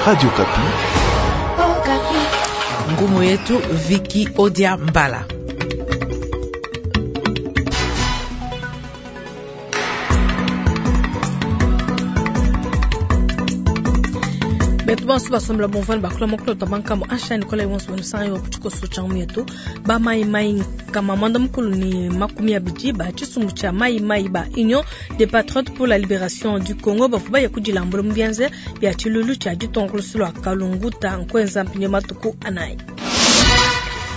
Radio Okapi. Ngumu yetu Viki Odia Mbala. Betu bonso basombela bomvani bakula mokolo ta bankambo asha nikola yonso banusangi wa kutshikoso tshia ngumu yetu ba mai mai nkama mwanda mukulu ni 20 ba tshisumbu tshia mai mai ba Union des Patriotes pour la Libération du Congo bavua baya kudilambula mu bianza bia tshilulu tshia ditongolosi lua Kalunguta nkuenza mpindieu matuku anayi.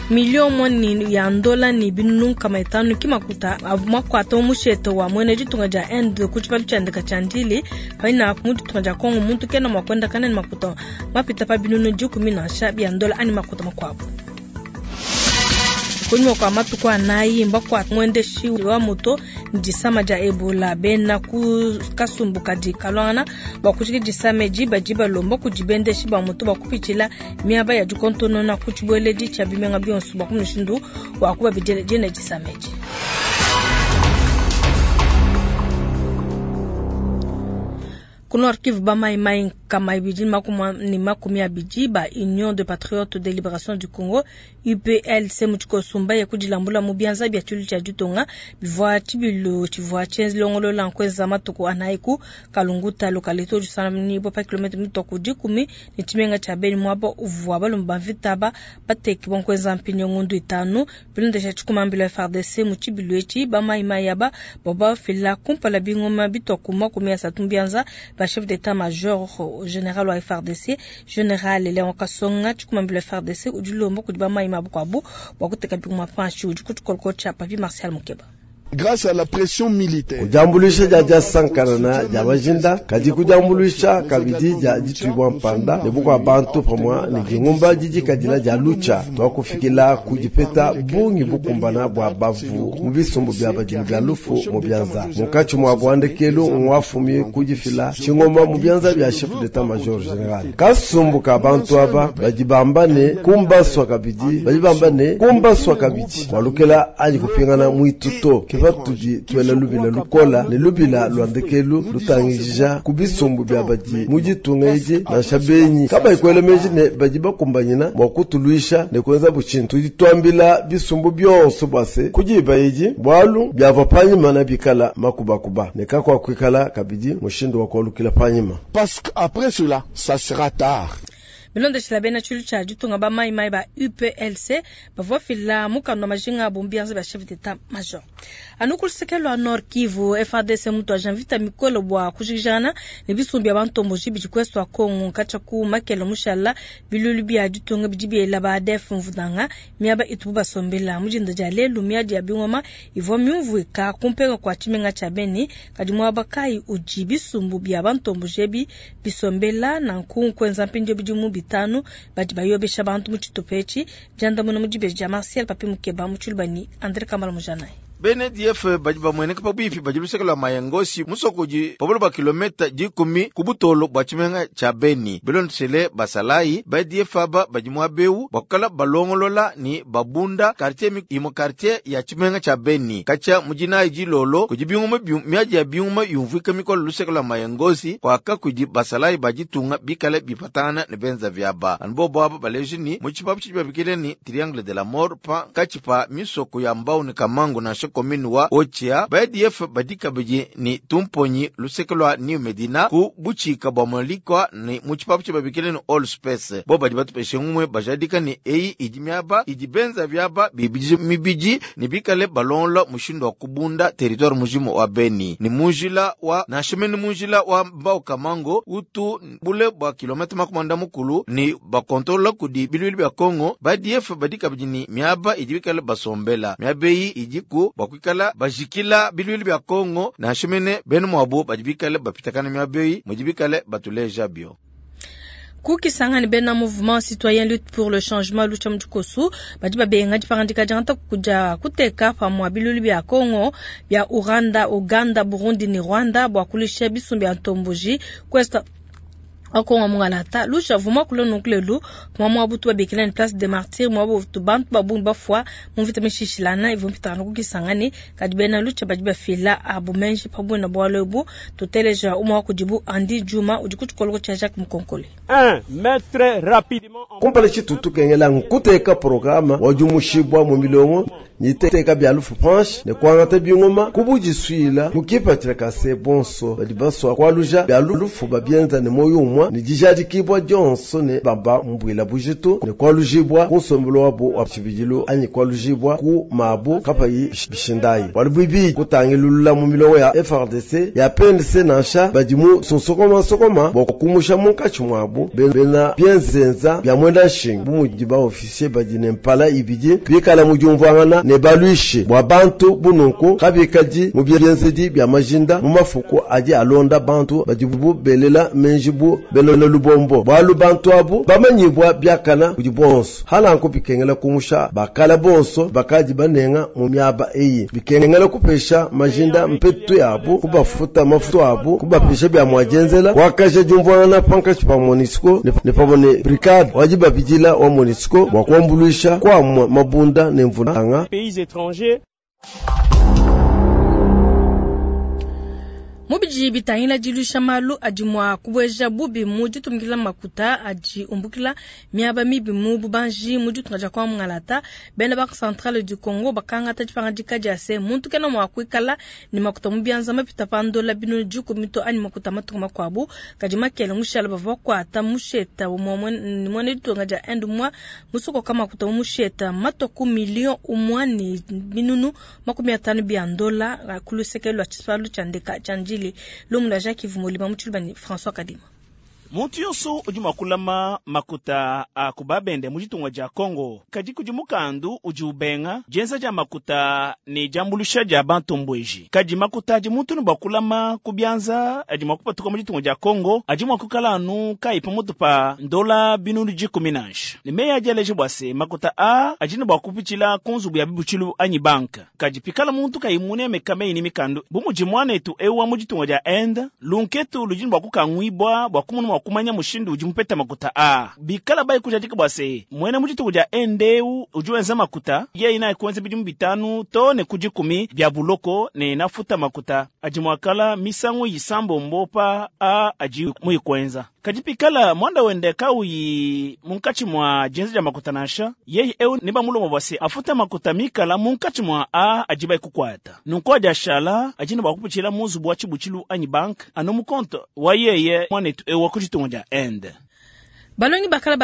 Milio moni ya ndola ni binunu 500 ki makuta avua makuata mu mushete wa muena ditunga dia Inde ku tshipalu tshia ndeka tshia Ndili paina mu ditunga dia Congo muntu kena mua kuendakana ne makuta mapita pa binunu 10 nansha bia ndola anyi makuta makuabu. Kunyima kua matuku anayi mbakuata muendeshi wa moto ne disama dia Ebola bena ku kasumbu kadi kaluangana bua kujikija disama edi badi balomba kudi bendeshi ba moto bua kupitshila miaba ya dikontonona ku tshibueledi tshia bimenga bionso bua ku mushindu wa kubabidila dina disama edi. Ku Nord Kivu ba mai mai 220 ba Union de Patriotes de Libération du Congo UPLC mu tshikoso mbaye kudilambula mu bianza bia tshilu tshia ditunga bivua tshibilu tshivua tshienzilongolola nkuenza matuku anayi ku Kalunguta localité udi pa kilomètre mitua ku 10 ne tshimenga tshia Beni muaba uvua balomba ba mvita ba bateki bua nkuenza mpindieu ngondu 5 bilondesha tshikumambila FARDC mu tshibilu etshi ba mai mai aba bavua bafila kumpala bingoma bitua ku 30 mu bianza ba chef d'état-major général wa FARDC général Léon Kasonga tshikumambila FARDC udi ulomba kudi ba mai mabu bua kuteka bingoma panshi udi ku tshikoloko tshia Papi Martial Mukeba. Grâce à la pression militaire. Kujambulisha dia dia sankarana dia majinda kadi kujambulisha kabidi dia dituibwa mpanda ne bukua bantu pamwa ne dingumba didi kadila dia lucha twakufikila kudipeta bungi bukumbana bua bavu mu bisumbu bia badimi bia lufu mu bianza munkatshi mua bwandekelu ngwafumi kudifila tshingoma mu bianza bia chef d'état major général kasumbu ka bantu aba badi bamba ne kumbaswa kabidi badi bamba ne kumbaswa kabidi walukela anyi kupingana mwituto patudi tuela lubila lukola ne lubila lwandekelu lutangijija ku bisumbu bia badi mu ditunga edi nansha benyi kabayi kuela meji ne badi bakumbanyina bua kutuluisha ne kuenza butshintu. Tudi tuambila bisumbu bionso bua se kudiba edi bualu biavua panyima na bikala makubakuba ne kakuakuikala kabidi mushindu wa kualukila panyima. Parce qu'après cela, ça sera tard. Bilondeshila bena tshilu tshia ditunga ba mai mai ba UPLC bavua fila mukanda wa majinga abu mbianza bia chef d'état major. Anu ku luseke lua Nord Kivu FARDC mutu aja mvita mikolo bua kujikijana ne bisumbu bia bantomboji bidi kuesu wa Kongo katshia ku makele mushala bilulu bia ditunga bidi biela ba ADF mvunanga miaba itubu basombela mu dinda dia lelu miadi ya bingoma ivua miumvuika kumpenga kua tshimenga tshia Beni kadi muaba kayi udi bisumbu bia bantomboji ebi bisombela nanku kuenza mpindieu bidimu 5 badi bayobesha bantu mu tshitupa etshi diandamuna mu dibeji dia Martial Papi Mukeba mu tshilubani André Kamala Mujanayi. Bene DF badi bamueneka pabuipi badi luseke lua Mayangosi musoko udi pabulu ba kilometa 10 ku butolo bua tshimenga tshia Beni. Bilondeshele basalayi ba DF aba badi muabeu bakukala balongolola ni babunda quartier imo quartier ya tshimenga tshia Beni. Katshia mujinayi dilolo kudi bingoma miadi ya bingoma yumvuika mikolo luseke lua Mayangosi kwaka kudi basalayi baditunga bikale bipatana ne benza vyaba. Anbo aba baleji ni mu tshipapu tshidi babikile ni Triangle de la Mort pa katshipa misoko ya Mbau ni Kamangu na commune wa Ochia ba ADF badika bidi ni tumponyi luseke lua New Medina ku buchika bwa molikwa ni mu tshipapu tshia babikile ni All Space bo badi batupeshe ngumwe bajadika ni eyi idi miaba idi benza vyaba bibidi mibidi ni bikale balonla mushindu wa kubunda territoire mujimu wa Beni ni munjila wa nashemeni munjila wa Mbau Kamango utu bule bwa kilomita makumanda mukulu ni bakontrola kudi bilwili bya Kongo ba ADF badika bidi ni miaba idi bikale basombela miaba eyi idi ku bakwikala bajikila bilwili bya Kongo nashemene benu mwabo badi bikale bapitakana miaba eyi mudi bikale batuleja bio. Kukisangani bena mouvement citoyen lutte pour le changement lucha mujikosu badi babenga dipangandika diangata kuja kuteka pamua bilulu bya Kongo bya Uganda, Uganda, Burundi ni Rwanda bua kulisha bisumbu bya ntomboji kwesta Wa Kongo mungalata Lucha vuma kula nunku lelu kuma muabu tubabikila ne Place des Martyrs, muabu bantu ba bungi bafua mu mvita mishishilana ivua mpitangana ku Kisangani. Kadi bena Lucha badi bafila abu menji pa buena bualu ebu. Tuteleja umue wa kudibu, Andy Juma, udi ku tshikoloko tshia Jacques Mukonkole. Kumpala tshitu tukengela nkuteka programa wa diumushibwa mu milongo niteka bya lufu panshi ne kuangata bingoma kubudisuila mukipatila kase bonso badi baswa kwaluja bya lufu babienza ne moyo umwa ne dijadikibwa dionso ne baba mbwila bujitu ne kwalujibwa ku nsombelo wabo wa tshibidilu anyi kwalujibwa ku mabu kapayi bishindayi bwalu bwibi kutangilulula mu milongo ya FRDC ya PNC nansha badi mu sonsokoma sokoma bwa kumusha munkatshi mwabu bena bienzenza bya mwenda nshinga bu mudi ba officier badi ne mpala ibidi bikala mu diumvuangana ne balwishi bwa bantu bununku kabikadi mu bienzedi bya majinda mu mafuku adi alonda bantu badi bu belela menji bu bena lubombo bwalu bantu abu bamanyibwa byakana kudi bonso halanku bikengela kumusha bakala bonso bakadi banenga mu miaba eyi bikengela kupesha majinda mpetu yabu kubafuta mafutu abu kubapesha bya mwajenzela wakaja diumvuangana pankatshi pa MONUSCO ne pamue ne brigade wadi babidila wa MONUSCO bwa kuambuluisha kwa mabunda ne mvulanga pays étrangers. Mubidi bitangila dilusha malu adi mua kubueja bubi mu ditumikila makuta adi umbukila miaba mibi mu bubanji mu ditunga dia kwa mungalata. Bena Banque Centrale du Congo bakangata dipangadika dia se muntu kena mua kuikala ne makuta mu bianza mapita pa ndola binunu dikumi to anyi makuta matunga makuabu. Kadi makele mushala bavua bakuata musheta ne muena ditunga dia Inde mwa musokoka makuta mu musheta matwa ku million umwa ne binunu 50 bia ndola ku luseke lua tshisalu tshia ndeka tshia Ndjili. Lumu la Jacques Vumolima mutshilubani François Kadima. Muntu yonso udi mua kulama makuta a kubabende mu ditunga dia Congo kadi kudi mukandu udi ubenga dienza dia makuta ne diambulusha dia bantu mbweji. Kadi makuta adi muntu ne bua kulama ku bianza adi mua kupatuka mu ditunga dia Congo adi mua kukala anu kayi pamutu pa ndola binunu dikumi nansha. Ne meyi adi aleja bua se makuta a adi ne bua kupitshila ku nzubu ya bibutshilu anyi banka. Kadi pikala muntu kayi munemeka meyi ne mikandu bu mudi muanetu ewu wa mu ditunga dia Inde lunketu ludi ne bua kukanguibua bua kumona kumanya mushindu udi mupeta makuta a bikala bai kujadika bua se mwene mu ditunga dia Inde udi wenza makuta yeye naye kuenza bidimu bitanu to ne kudikumi bya buloko ne nafuta makuta adi mwakala misangu yisambombo pa a adi muyikwenza. Kadi pikala mwanda wende kauyi munkatshi mwa dienza dia makuta nansha yeye eu ne bamulomba bua se afuta makuta mikala munkatshi mwa a adi bai kukwata nunku adi ashala adi ne bua kupitshila mu nzubu wa tshibutshilu anyi bank anu mu konte wa yeye mwanetu eu wa ku ditunga dia Inde. Balongi bakala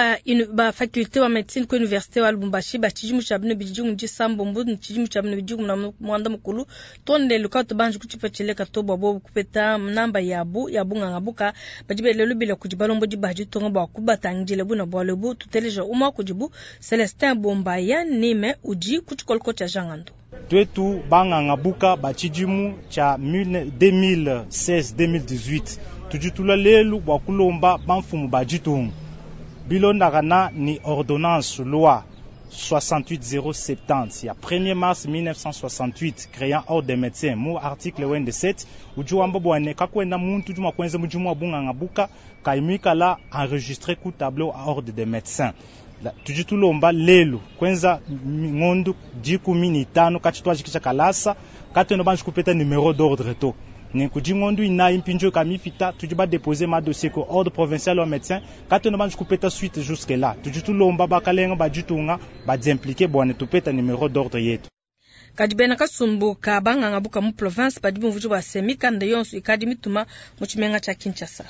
ba faculté wa médecine ku université wa Lubumbashi ba tshidimu tshia bino bidimu disambombo ne tshidimu tshia bino bidimu na mwanda mukulu tonde lukato banji kutshipetshele kato bua bobu kupeta namba yabu ya bunganga buka badi belelo bila kudi balombo di ba ditunga bua kubatangidile buna bualu ebu. Tuteleja umue kudibu Celestin Bombaya nime udi ku tshikoloko tshia Jangando. Twetu banganga buka ba tshidimu tshia 2016-2018 tudi lelu bua kulomba bamfumu ba ditunga bilondakana ni ordonnance loi 68070 ya 1er mars 1968 créant ordre des médecins mu article 27 udi wamba bua ne kakuena muntu udi mua kuenza mudimu wa bunganga buka kaimikala enregistré ku tableau a ordre des médecins. Tudi tulomba lelu kwenza ngondu 15 kati twajikisha kalasa katwena banji kupeta numéro d'ordre to ne kudi ngondu inayi mpindio kamipita tudi ba déposer ma dossier ko ordre provincial wa médecin katwena banji kupeta suite jusque là. Tudi tulomba bakalenga ba ditunga ba impliquer bua ne tupeta numéro d'ordre yetu. Kadi bena kasumbu ka banganga buka mu province badi bumvuji bua se mikanda yonso ikadi mituma mu tshimenga tshia Kinshasa.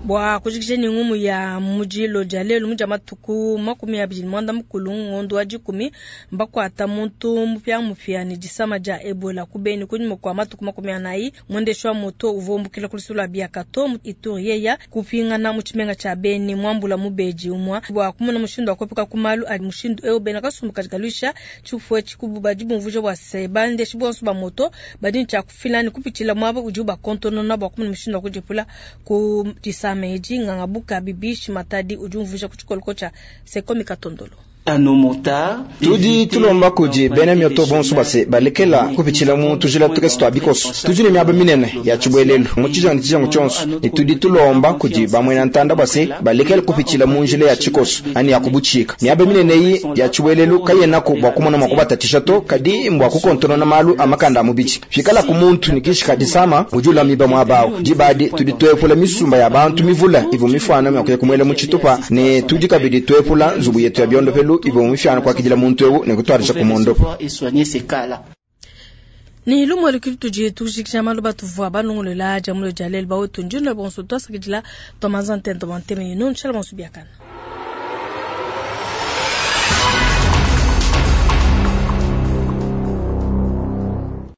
Bua kujikija ni ngumu ya mujilo dia lelu muja matuku 29 ngondo wa 10 mbakwata muntu mupya mupya ni disama dia Ebola kubeni kunyuma kwa matuku 40 mwendesho wa moto uvombukila kulisula biakato Ituri yeya kupingana mu tshimenga tshia Beni mwambula mubeji umwa bua kumona mushindu wa kuepuka kumalu ali mushindu eu bena kasumbu kajikalwisha tshifue tshikubu badi bumvuja bua se bandeshi bonso ba moto badi tshia kufila ni kupitshila mwaba udi bakontonona bua kumona mushindu wa kudipula ku disama meji nganga buka bibishi matadi udi umvuja ku tshikoloko tshia Sekomi Katondolo. Tudi tulomba kudi bena mioto bonso base balekela kupitshila mu tujila tukese tua bikoso. Tudi ne miaba minene ya tshibuelelu mu tshijangu ne tshijangu tshionso, ne tudi tulomba kudi bamuena ntanda base balekela kupitshila mu njila ya tshikoso anyi ya kubutshika. Miaba minene eyi ya tshibuelelu kayenaku bua kumona mua kubatatshisha to, kadi mbua kukontonona malu a makanda a mubidi. Pikalaku muntu ne kishi ka disama udi ulamiba muaba awu, diba adi tudi tuepula misumba ya bantu mivule ivua mifuana mua kuya kumuela mu tshitupa, ne tudi kabidi tuepula nzubu yetu ya biondopelu ivua mifuana kuakidila muntu eu ne kutuadija kumondopa. Ni lumu elu ke tudi tujikija malu batuvua balongolola dia mulo dia lelu bawetu njunda bonso tuasakidila tuamanza ntento bua ntema yenu nshala bonso biakana.